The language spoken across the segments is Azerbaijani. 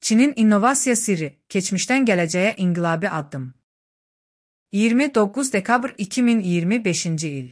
Çinin innovasiya sirri, keçmişdən gələcəyə inqilabi addım. 29 dekabr 2025-ci il.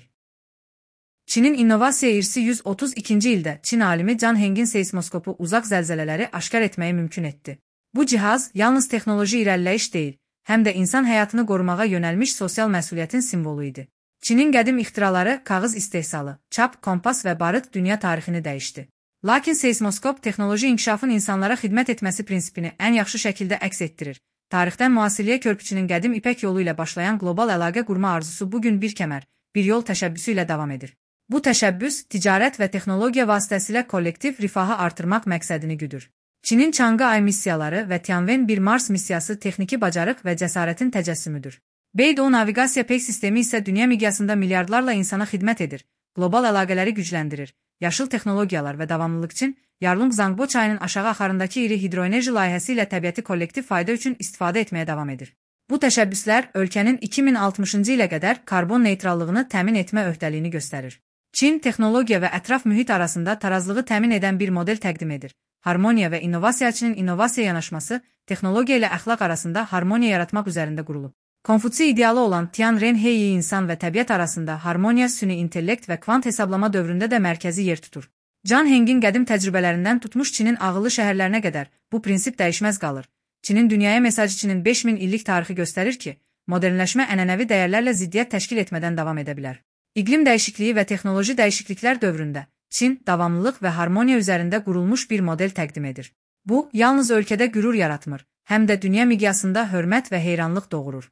Çinin innovasiya irsi 132-ci ildə Çin alimi Can Hengin seismoskopu uzaq zəlzələləri aşkar etməyi mümkün etdi. Bu cihaz yalnız texnoloji irəliləyiş deyil, həm də insan həyatını qorumağa yönəlmiş sosial məsuliyyətin simvolu idi. Çinin qədim ixtiraları kağız istehsalı, çap, kompas və barıt dünya tarixini dəyişdi. Lakin seismoskop texnoloji inkişafın insanlara xidmət etməsi prinsipini ən yaxşı şəkildə əks etdirir. Tarixdən müasirliyə körpüçünün qədim ipək yolu ilə başlayan qlobal əlaqə qurma arzusu bugün bir kəmər, bir yol təşəbbüsü ilə davam edir. Bu təşəbbüs, ticarət və texnologiya vasitəsilə kollektiv rifahı artırmaq məqsədini güdür. Çinin Çanqa Ay missiyaları və Tianwen-1 Mars missiyası texniki bacarıq və cəsarətin təcəssümüdür. Beidou naviqasiya pey sistemi isə dünya miqyasında milyardlarla insana xidmət edir, qlobal əlaqələri gücləndirir. Yaşıl texnologiyalar və davamlılıq üçün Yarlung Zangbo çayının aşağı axarındakı iri hidroenerji layihəsi ilə təbiəti kollektiv fayda üçün istifadə etməyə davam edir. Bu təşəbbüslər ölkənin 2060-cı ilə qədər karbon neytrallığını təmin etmə öhdəliyini göstərir. Çin texnologiya və ətraf mühit arasında tarazlığı təmin edən bir model təqdim edir. Harmoniya və innovasiyaçının innovasiya yanaşması texnologiya ilə əxlaq arasında harmoniya yaratmaq üzərində qurulub. Konfutsi idealı olan Tian Renhei insan və təbiət arasında harmoniya süni intellekt və kvant hesablama dövründə də mərkəzi yer tutur. Can Hengin qədim təcrübələrindən tutmuş Çinin ağıllı şəhərlərinə qədər bu prinsip dəyişməz qalır. Çinin dünyaya mesajı Çinin 5000 illik tarixi göstərir ki, modernləşmə ənənəvi dəyərlərlə ziddiyyət təşkil etmədən davam edə bilər. İqlim dəyişikliyi və texnoloji dəyişikliklər dövründə Çin davamlılıq və harmoniya üzərində qurulmuş bir model təqdim edir. Bu, yalnız ölkədə qürur yaratmır, həm də dünya miqyasında hörmət və heyranlıq doğurur.